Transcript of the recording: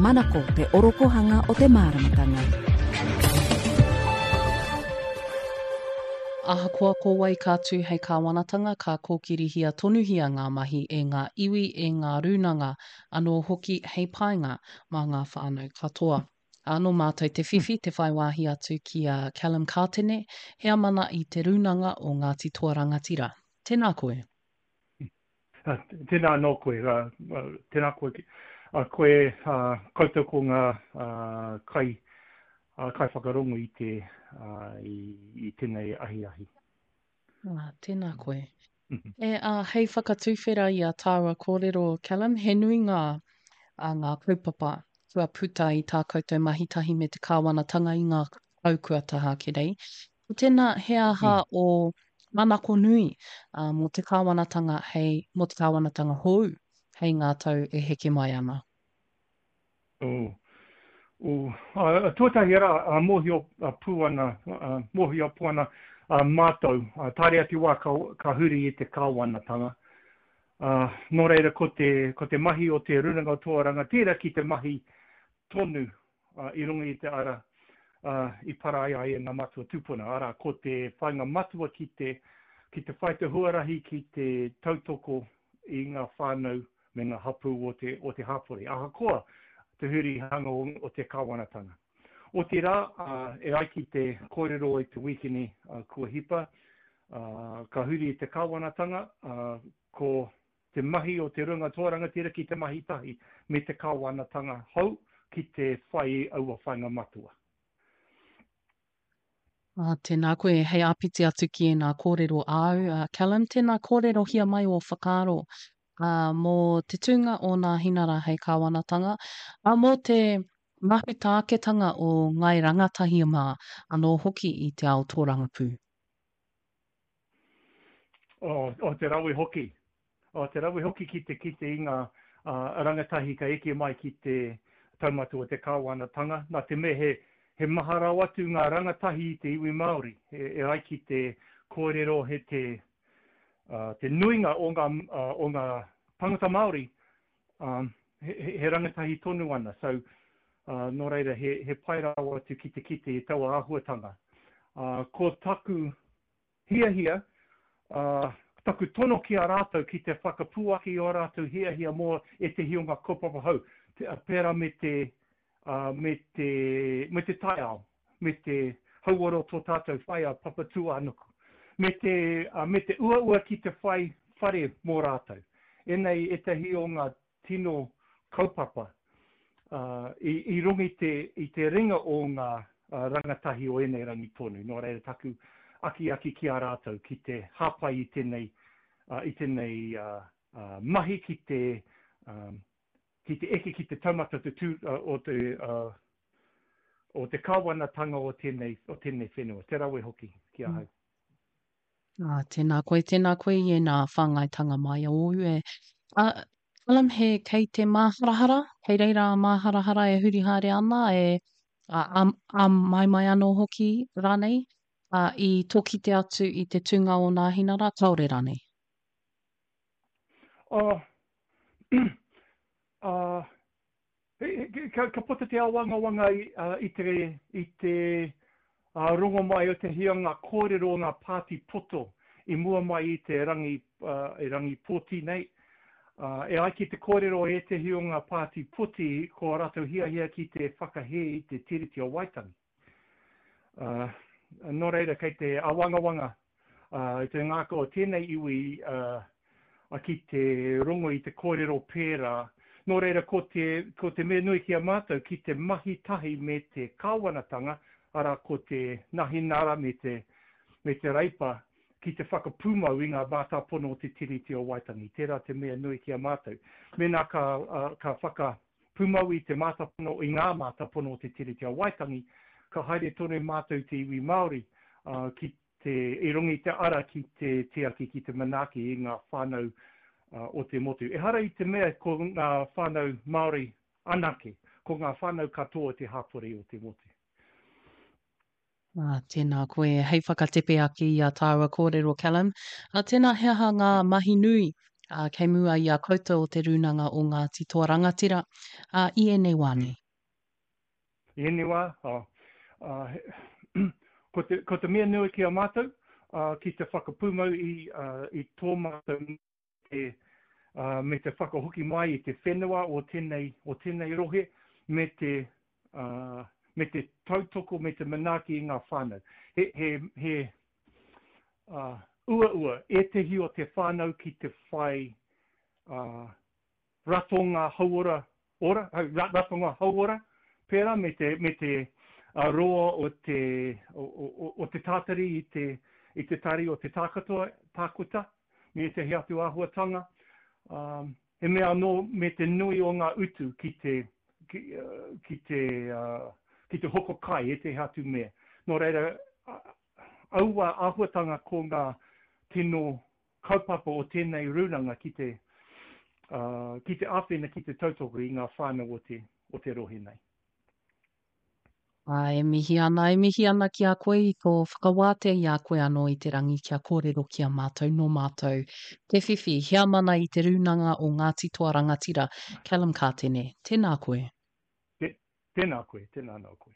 Manako te orokohanga o te māramatanga. Ahakoa ko wai ka tū hei kāwanatanga, ka kōkirihia tonuhia ngā mahi e ngā iwi, e ngā rūnanga anō hoki hei painga mā ngā whānau katoa. Ā, nō mātou te whiwhi te whai wāhi atu ki a Callum Kātene, heamana i te Rūnanga o Ngāti Toa Rangatira. Tēnā koe. Tēnā anō koe, tēnā koe, koe koutou ko ngā kai, kaiwhakarongo i te, i tēnei ahiahi. Ah, tēnā koe. E, ā, hei whakatuwhera i a tāua kōrero, Callum, he nui ngā, ā, ngā kaupapa kua puta i tā koutou mahi tahi me te kāwanatanga i ngā tau kua taha ake nei. Ko tēnā he aha ō manako nui mō te kāwanatanga hei, mō te kāwanatanga hou hei ngā tau e heke mai ana? Oh, oh, uh, tuatahi rā, uh, mōhio uh, pū ana, uh, mōhio pū ana uh, mātou, uh, taere atu wā ka, ka huri i te kāwanatanga. Uh, nō reira, ko te, ko te mahi o te Rūnanga o Toa Rangatira ki te mahi tonu i runga i te ara i para ai ai e ngā matua tūpuna, arā, ko te whāinga matua ki te, ki te whai te huarahi ki te tautoko i ngā whānau me ngā hapū o te, o te hapori, ahakoa te hurihanga o, o te kāwanatanga. Otirā, e ai ki te kōrero i te wīkeni kua hipa, ka huri te kāwanatanga, ko te mahi o te Runga Toa Rangatira ki te mahi tahi me te kāwanatanga hou ki te whai i aua whainga matua. Ā, tēnā koe, hei āpiti atu ki ēnā kōrero āu, ā, Callum, tēnā kōrerohia mai ō whakaaro, ā, mō te tūnga o Nāhinara hei kāwanatanga, ā, mō te mahuta aketanga o Ngāi Rangatahi mā anō hoki i te ao tōrangapū. O, o te rawe hoki. O te rawe hoki ki te kite i ngā rangatahi ka eke mai ki te taumata o te kāwanatanga, nā te mea he, he maha rawa atu ngā rangatahi i te iwi Māori. E, e ai ki te kōrero he te, uh, te nuinga o ngā, uh, o ngā tangata Māori um, he, he, he rangatahi tonu ana. So, uh, nō reira, he, he pai rawa atu ki te kite i taua āhuatanga. Uh, ko taku hiahia, ā, taku tono ki a rātou ki te whakapuaki i ō rātou hiahia mō ētehi o ngā kaupapa hou, pērā me te, ā, me te, me te taiao, me te hauora o tō tātou whaea Papatūānuku, me te, ā, me te uaua ki te whai whare mō rātou. Ēnei ētehi o ngā tino kaupapa i runga i te, i te ringa o ngā rangatahi o ēnei rangi tonu. Nō reira taku akiaki ki a rātou ki te hāpai i tēnei, i tēnei mahi ki te, ki te eke ki te taumata te tū, o te, o te kāwanatanga o tēnei, o tēnei whenua. Te rawe hoki ki ahau. Ā, tēnā koe, tēnā koe i ēnā whāngaitanga mai ōu e. Ā, Callum, he kei te māharahara, kei reira a māharahara e huri haere ana, e ā, ā, āmaimai anō hoki rānei, ā, i tō kite atu i te tūnga o Nāhinara, kāore rānei? Ā, ā, Ka puta te āwangawanga i te, i te rongo mai o te hianga kōrero o ngā pāti poto i mua mai i te rangi, rangi pōti nei. E ai ki te kōrero o ētehi o ngā pāti poti ko ā rātou hiahia ki te whakahē i te Tiriti o Waitangi. Ā, nō reira kei te āwangawanga i te ngākau o tēnei iwi ki te rongo i te kōrero pērā. Nō reira ko te, ko te mea nui ki a mātou ki te mahi tahi me te kāwanatanga, arā ko te Nahinara me te, me te Reipa ki te whakapūmau i ngā mātāpono o te Tiriti o Waitangi. Tērā te mea nui ki a mātou. Mēnā ka, ka whaka Pūmau i te mātāpono, i ngā mātāpono o te Tiriti o Waitangi, ka haere tonu mātou te iwi Māori ki te, i runga i te ara ki te tiaki, ki te manaaki i ngā whānau o te motu. Ehara i te mea ko ngā whānau Māori anake, ko ngā whānau katoa o te hapori o te motu. Ā, tēnā koe. Hei whakatepe ake i ā tāua kōrero, Callum, ā, tēnā he aha ngā mahi nui. ā, kei mua i a koutou o Te Rūnanga o Ngāti Toa Rangatira, ā, i ēnei wā nei? I ēnei wā, ā, ā, ko te, ko te mea nui ki a mātou, ā, ki te whakapūmau i, ā, i tō mātou te, ā, me te whakahoki mai i te whenua o tēnei, o tēnei rohe, me te, ā, me te tautoko, me te manaaki i ngā whānau. He, he, he, ā, uaua ētehi o te whānau ki te whai, ā, ratonga hauora ora, ratonga hauora, pērā me te, me te roa o te, o, o, o te tātari i te, i te tari o te tākatoa, tākuta, me ētehi atu āhuatanga. Um, he mea anō me te nui o ngā utu ki te, ki, ki te, uh, ki te hoko kai, ētehi atu mea. Nō reira, aua āhuatanga ko ngā tino kaupapa o tēnei rūnanga ki te, ki te āwhina, ki te tautoko i ngā whānau o te, o te rohe nei. Ā, e mihi ana, e mihi ana ki a koe i tō whakawātea i a koe anō i te rangi kia kōrero ki a mātou nō mātou te whiwhi heamana i te Rūnanga o Ngāti Toa Rangatira, Callum Kātene. Tēnā koe. Tēnā koe, tēnā anō koe.